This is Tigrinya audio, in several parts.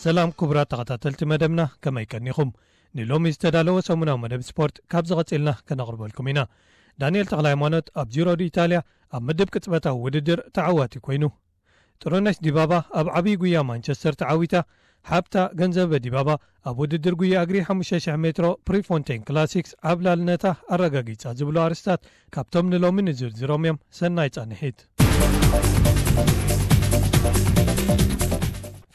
ሰላም ክቡራት ተኸታተልቲ መደብና፣ ከመይ ቀኒኹም? ንሎሚ ዝተዳለወ ሰሙናዊ መደብ ስፖርት ካብ ዝቐጺልና ከነቕርበልኩም ኢና። ዳንኤል ተኽለ ሃይማኖት ኣብ ጂሮ ዲ ኢታልያ ኣብ ምድብ ቅጽበታዊ ውድድር ተዓዋቲ ኮይኑ። ጥሩነሽ ዲባባ ኣብ ዓብዪ ጉያ ማንቸስተር ተዓዊታ። ሓብታ ገንዘበ ዲባባ ኣብ ውድድር ጉያ እግሪ ሓሙሽተ ሽሕ ሜትሮ ፕሪፎንቴን ክላሲክስ ዓብላልነታ ኣረጋጊጻ ዝብሉ ኣርስታት ካብቶም ንሎሚ ንዝርዝሮም እዮም። ሰናይ ጻንሒት።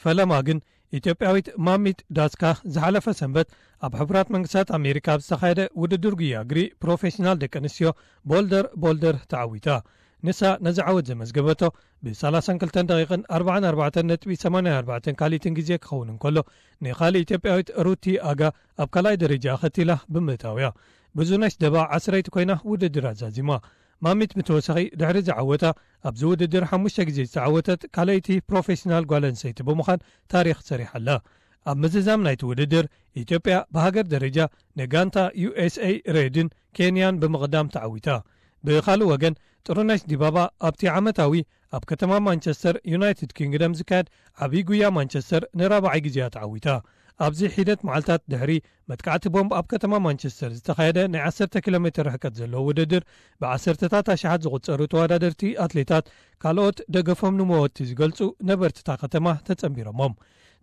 ፈለማ ግን ኢትዮጵያዊት ማሚት ዳስካ ዝሓለፈ ሰንበት ኣብ ሕቡራት መንግስታት ኣሜሪካ ኣብ ዝተኻየደ ውድድር ጉያ እግሪ ፕሮፌሽናል ደቂ ኣንስትዮ ቦልደር ቦልደር ተዓዊታ። ንሳ ነዚ ዓወት ዘመዝገበቶ ብ ሰላሳን ክልተን ደቂቕን ኣርባዓን ኣርባዕተን ነጥቢ ሰማንያን ኣርባዕተን ካልኢትን ግዜ ክኸውን እንከሎ፣ ንኻልእ ኢትዮጵያዊት ሩቲ ኣጋ ኣብ ካልኣይ ደረጃ ኣኸቲላ ብምእታውያ። ብዙነሽ ደባ ዓስረይቲ ኮይና ውድድር ኣዛዚማ። ማሚት ብተወሳኺ ድሕሪ ዝዓወታ ኣብዚ ውድድር ሓሙሽተ ግዜ ዝተዓወተት ካልኣይቲ ፕሮፌሽናል ጓል ኣንስተይቲ ብምዃን ታሪኽ ሰሪሓ ኣላ። ኣብ ምዝዛም ናይቲ ውድድር ኢትዮጵያ ብሃገር ደረጃ ንጋንታ ዩ ኤስ ኤ ሬድን ኬንያን ብምቕዳም ተዓዊታ። ብኻልእ ወገን ጥሩነሽ ዲባባ ኣብቲ ዓመታዊ ኣብ ከተማ ማንቸስተር ዩናይትድ ኪንግደም ዝካየድ ዓብዪ ጉያ ማንቸስተር ንራብዓይ ግዜያ ተዓዊታ። ኣብዚ ሒደት መዓልታት ድሕሪ መጥቃዕቲ ቦምብ ኣብ ከተማ ማንቸስተር ዝተኻየደ ናይ ዓሰርተ ኪሎ ሜትር ርሕቀት ዘለዎ ውድድር ብዓሰርተታት ኣሽሓት ዝቑጸሩ ተወዳደርቲ ኣትሌታት ካልኦት ደገፎም ንመወቲ ዝገልጹ ነበርቲ እታ ከተማ ተጸንቢሮሞም።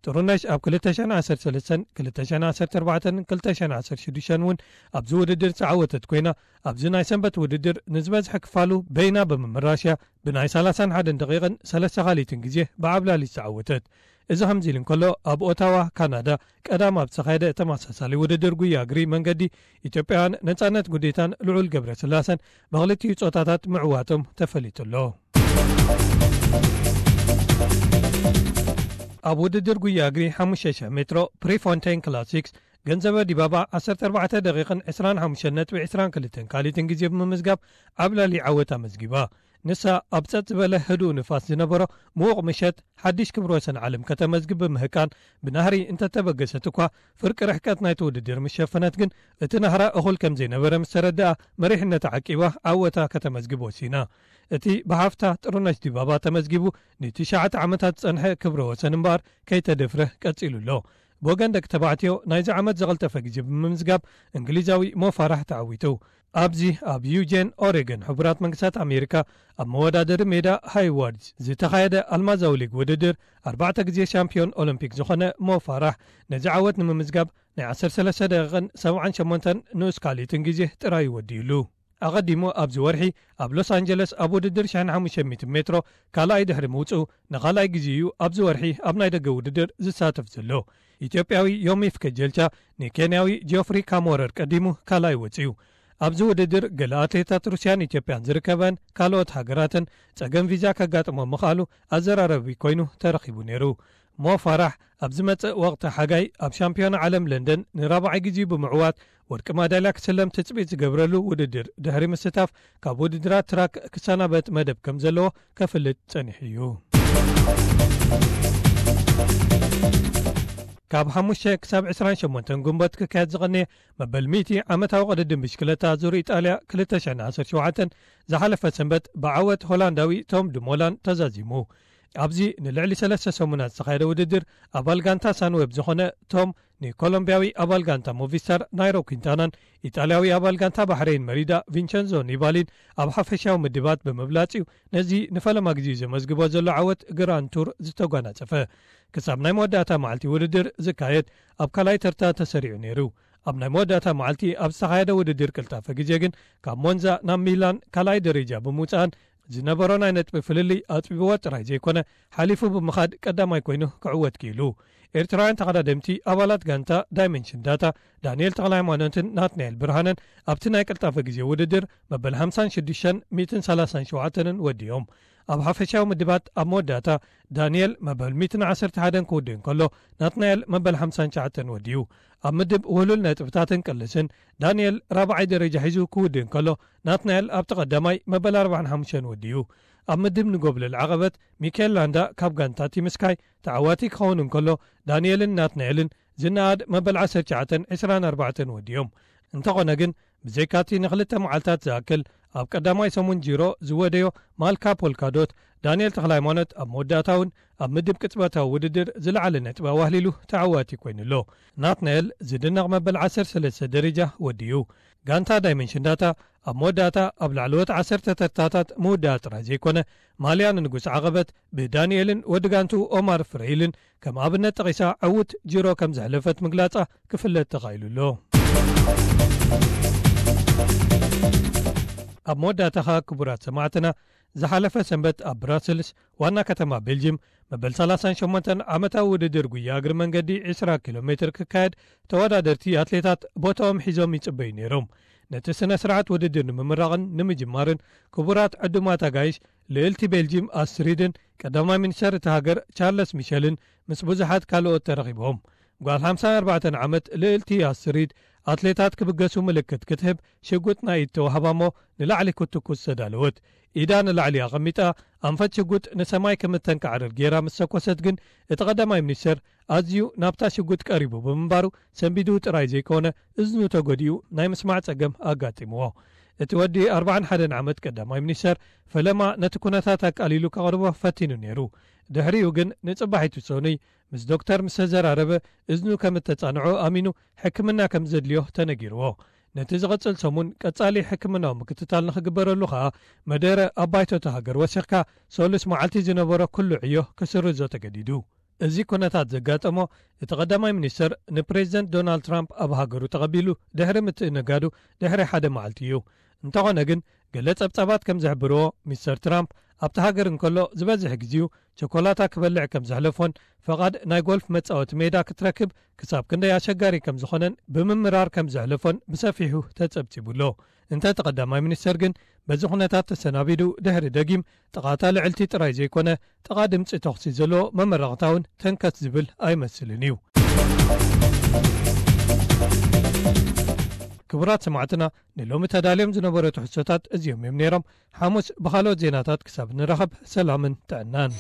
ጥሩነሽ ኣብ ክልተ ሽሕን ዓሰርተ ሰለስተን፣ ክልተ ሽሕን ዓሰርተ ኣርባዕተን፣ ክልተ ሽሕን ዓሰርተ ሽዱሽተን እውን ኣብዚ ውድድር ዝተዓወተት ኮይና፣ ኣብዚ ናይ ሰንበት ውድድር ንዝበዝሐ ክፋሉ በይና ብምምራሽያ ብናይ ሰላሳን ሓደን ደቂቕን ሰለስተ ካልኢትን ግዜ ብዓብላሊ ዝተዓወተት። እዚ ከምዚ ኢሉ እንከሎ፣ ኣብ ኦታዋ ካናዳ ቀዳም ኣብ ዝተኻየደ ተመሳሳሊ ውድድር ጉያ እግሪ መንገዲ ኢትዮጵያውያን ነጻነት ጉዴታን ልዑል ገብረ ስላሰን ብክልቲኡ ጾታታት ምዕዋቶም ተፈሊጡ ኣሎ። ኣብ ውድድር ጉያ እግሪ ሓሙሽተ ሽሕ ሜትሮ ፕሪፎንቴን ክላሲክስ ገንዘበ ዲባባ ዓሰርተ ኣርባዕተ ደቂቕን ዕስራን ሓሙሽተን ነጥቢ ዕስራን ክልተን ካልኢትን ግዜ ብምምዝጋብ ዓብላሊ ዓወት ኣመዝጊባ። ንሳ ኣብ ጸጥ ዝበለ ህዱእ ንፋስ ዝነበሮ ምዉቕ ምሸት ሓድሽ ክብረ ወሰን ዓለም ከተመዝግብ ብምህቃን ብናህሪ እንተተበገሰት እኳ፣ ፍርቂ ርሕቀት ናይቲ ውድድር ምስ ሸፈነት ግን እቲ ናህራ እኹል ከም ዘይነበረ ምስ ተረድኣ፣ መሪሕነታ ዓቂባ ዓወታ ከተመዝግብ ወሲና። እቲ ብሓፍታ ጥሩነሽ ዲባባ ተመዝጊቡ ንትሽዓተ ዓመታት ዝጸንሐ ክብረ ወሰን እምበኣር ከይተደፍረ ቀጺሉ ኣሎ። ብወገን ደቂ ተባዕትዮ ናይዚ ዓመት ዝቐልጠፈ ግዜ ብምምዝጋብ እንግሊዛዊ ሞፋራሕ ተዓዊቱ። ኣብዚ ኣብ ዩጄን ኦሬገን ሕቡራት መንግስታት ኣሜሪካ ኣብ መወዳደሪ ሜዳ ሃይዋርድስ ዝተኻየደ ኣልማዛዊ ሊግ ውድድር ኣርባዕተ ግዜ ሻምፒዮን ኦሎምፒክ ዝኾነ ሞፋራሕ ነዚ ዓወት ንምምዝጋብ ናይ ዓሰርተ ሰለስተ ደቂቕን ሰብዓን ሸሞንተን ንኡስ ካልኢትን ግዜ ጥራይ ወዲኡሉ። ኣቐዲሙ ኣብዚ ወርሒ ኣብ ሎስ ኣንጀለስ ኣብ ውድድር ሽሕን ሓሙሽተ ሚእትን ሜትሮ ካልኣይ ድሕሪ ምውፅኡ ንኻልኣይ ግዜ እዩ ኣብዚ ወርሒ ኣብ ናይ ደገ ውድድር ዝሳተፍ ዘሎ። ኢትዮጵያዊ ዮሚፍ ከጀልቻ ንኬንያዊ ጆፍሪ ካሞረር ቀዲሙ ካልኣይ ወፂኡ። ኣብዚ ውድድር ገለ ኣትሌታት ሩስያን ኢትዮጵያን ዝርከበን ካልኦት ሃገራትን ጸገም ቪዛ ከጋጥሞም ምኽኣሉ ኣዘራረቢ ኮይኑ ተረኺቡ ነይሩ። ሞ ፋራሕ ኣብ ዝመጽእ ወቕቲ ሓጋይ ኣብ ሻምፒዮና ዓለም ለንደን ንራብዓይ ግዜኡ ብምዕዋት ወርቂ ማዳልያ ክስለም ትጽቢት ዝገብረሉ ውድድር ድሕሪ ምስታፍ ካብ ውድድራት ትራክ ክሰናበት መደብ ከም ዘለዎ ከፍልጥ ጸኒሑ እዩ። ካብ ሓሙሽተ ክሳብ ዕስራን ሸሞንተን ግንቦት ክካየድ ዝቐነየ መበል ሚእቲ ዓመታዊ ቅድድም ብሽክለታ ዙር ኢጣልያ ክልተ ሽሕን ዓሰርተ ሸውዓተን ዝሓለፈ ሰንበት ብዓወት ሆላንዳዊ ቶም ድሞላን ተዛዚሙ። ኣብዚ ንልዕሊ ሰለስተ ሰሙናት ዝተኻየደ ውድድር ኣባል ጋንታ ሳንዌብ ዝኾነ ቶም ንኮሎምቢያዊ ኣባል ጋንታ ሞቪስታር ናይሮ ኲንታናን ኢጣልያዊ ኣባል ጋንታ ባሕረይን መሪዳ ቪንቸንዞ ኒባሊን ኣብ ሓፈሻዊ ምድባት ብምብላጽ እዩ ነዚ ንፈለማ ግዜ ዘመዝግቦ ዘሎ ዓወት ግራንድ ቱር ዝተጓናጸፈ። ክሳብ ናይ መወዳእታ መዓልቲ ውድድር ዝካየድ ኣብ ካልኣይ ተርታ ተሰሪዑ ነይሩ። ኣብ ናይ መወዳእታ መዓልቲ ኣብ ዝተኻየደ ውድድር ቅልጣፈ ግዜ ግን ካብ ሞንዛ ናብ ሚላን ካልኣይ ደረጃ ብምውጻእን ዝነበሮ ናይ ነጥቢ ፍልልይ ኣጽቢብዎ ጥራይ ዘይኮነ ሓሊፉ ብምኻድ ቀዳማይ ኮይኑ ክዕወት ክኢሉ። ኤርትራውያን ተቐዳደምቲ ኣባላት ጋንታ ዳይመንሽን ዳታ ዳንኤል ተኽለሃይማኖትን ናትናኤል ብርሃነን ኣብቲ ናይ ቅልጣፈ ግዜ ውድድር መበል ሓምሳን ሽዱሽተን ሚእትን ሰላሳን ሸውዓተንን ወዲኦም። ኣብ ሓፈሻዊ ምድባት ኣብ መወዳእታ ዳንኤል መበል ሚእትን ዓሰርተ ሓደን ክውድእ እንከሎ ናትናኤል መበል ሓምሳን ትሽዓተን ወዲኡ። ኣብ ምድብ ውህሉል ነጥብታትን ቅልስን ዳንኤል ራብዓይ ደረጃ ሒዙ ክውድእ እንከሎ ናትናኤል ኣብቲ ቀዳማይ መበል ኣርባዓን ሓሙሽተን ወዲኡ። ኣብ ምድብ ንጎብለል ዓቐበት ሚካኤል ላንዳ ካብ ጋንታ ቲም ስካይ ተዓዋቲ ክኸውን እንከሎ ዳንኤልን ናትናኤልን ዝነኣድ መበል ዓሰርተ ትሽዓተን ዕስራን ኣርባዕተን ወዲኦም። እንተኾነ ግን፣ ብዘይካቲ ንኽልተ መዓልታት ዝኣክል ኣብ ቀዳማይ ሰሙን ጂሮ ዝወደዮ ማልካ ፖልካዶት፣ ዳንኤል ተኽለሃይማኖት ኣብ መወዳእታ እውን ኣብ ምድብ ቅጽበታዊ ውድድር ዝለዓለ ነጥቢ ኣዋህሊሉ ተዓዋቲ ኮይኑ ኣሎ። ናትናኤል ዝድነቕ መበል ዓሰርተ ሰለስተ ደረጃ ወዲኡ። ጋንታ ዳይመንሽን ዳታ ኣብ መወዳእታ ኣብ ላዕለዎት ዓሰርተ ተርታታት ምውዳኣ ጥራይ ዘይኮነ፣ ማልያ ንንጉስ ዓቐበት ብዳንኤልን ወዲ ጋንቱ ኦማር ፍረይልን ከም ኣብነት ጠቒሳ ዕዉት ጅሮ ከም ዘሕለፈት ምግላጻ ክፍለጥ ተኻኢሉ ኣሎ። ኣብ መወዳእታ ኸኣ ክቡራት ሰማዕትና፣ ዝሓለፈ ሰንበት ኣብ ብራስልስ ዋና ከተማ ቤልጅም መበል ሰላሳን ሸሞንተን ዓመታዊ ውድድር ጉያ እግሪ መንገዲ ዕስራ ኪሎ ሜትር ክካየድ፣ ተወዳደርቲ ኣትሌታት ቦታኦም ሒዞም ይጽበዩ ነይሮም። ነቲ ስነ ስርዓት ውድድር ንምምራቕን ንምጅማርን ክቡራት ዕዱማት ኣጋይሽ ልእልቲ ቤልጂም ኣስትሪድን ቀዳማይ ሚኒስተር እቲ ሃገር ቻርለስ ሚሸልን ምስ ብዙሓት ካልኦት ተረኺቦም። ጓል ሓምሳን ኣርባዕተን ዓመት ልእልቲ ኣስትሪድ ኣትሌታት ክብገሱ ምልክት ክትህብ ሽጉጥ ናይ ኢድ ተዋህባ እሞ ንላዕሊ ክትትኩስ ተዳለወት። ኢዳ ንላዕሊ ኣቐሚጣ ኣንፈት ሽጉጥ ንሰማይ ከም እተንቃዕርር ጌራ ምስ ተኮሰት ግን እቲ ቀዳማይ ሚኒስተር ኣዝዩ ናብታ ሽጉጥ ቀሪቡ ብምንባሩ ሰንቢዱ ጥራይ ዘይኮነ እዝኑ ተጎዲኡ ናይ ምስማዕ ጸገም ኣጋጢምዎ። እቲ ወዲ ኣርባዓን ሓደን ዓመት ቀዳማይ ሚኒስተር ፈለማ ነቲ ኩነታት ኣቃሊሉ ከቕርቦ ፈቲኑ ነይሩ። ድሕሪኡ ግን ንጽባሒቱ ሰኑይ ምስ ዶክተር ምስ ተዘራረበ እዝኑ ከም እተጻንዖ ኣሚኑ ሕክምና ከም ዘድልዮ ተነጊርዎ። ነቲ ዝቕጽል ሰሙን ቀጻሊ ሕክምናዊ ምክትታል ንኽግበረሉ ኸኣ መደረ ኣብ ባይቶ እታ ሃገር ወሲኽካ ሰሉስ መዓልቲ ዝነበሮ ኩሉ ዕዮ ክስርዞ ተገዲዱ። እዚ ኩነታት ዘጋጠሞ እቲ ቀዳማይ ሚኒስተር ንፕሬዚደንት ዶናልድ ትራምፕ ኣብ ሃገሩ ተቐቢሉ ድሕሪ ምትእንጋዱ ድሕሪ ሓደ መዓልቲ እዩ። እንተኾነ ግን ገለ ጸብጻባት ከም ዝሕብርዎ ሚስተር ትራምፕ ኣብቲ ሃገር እንከሎ ዝበዝሕ ግዜኡ ቸኮላታ ክበልዕ ከም ዘሕለፎን ፈቓድ ናይ ጎልፍ መጻወቲ ሜዳ ክትረክብ ክሳብ ክንደይ ኣሸጋሪ ከም ዝኾነን ብምምራር ከም ዘሕለፎን ብሰፊሑ ተጸብጺቡ ኣሎ። እንተ እቲ ቀዳማይ ሚኒስተር ግን በዚ ኩነታት ተሰናቢዱ ድሕሪ ደጊም ጥቓታ ልዕልቲ ጥራይ ዘይኮነ ጥቓ ድምጺ ተኹሲ ዘለዎ መመረቕታ እውን ተንከት ዝብል ኣይመስልን እዩ። ክቡራት ሰማዕትና ንሎሚ ተዳልዮም ዝነበሩ ትሕዝቶታት እዚኦም እዮም ነይሮም። ሓሙስ ብኻልኦት ዜናታት ክሳብ ንራኸብ ሰላምን ጥዕናን።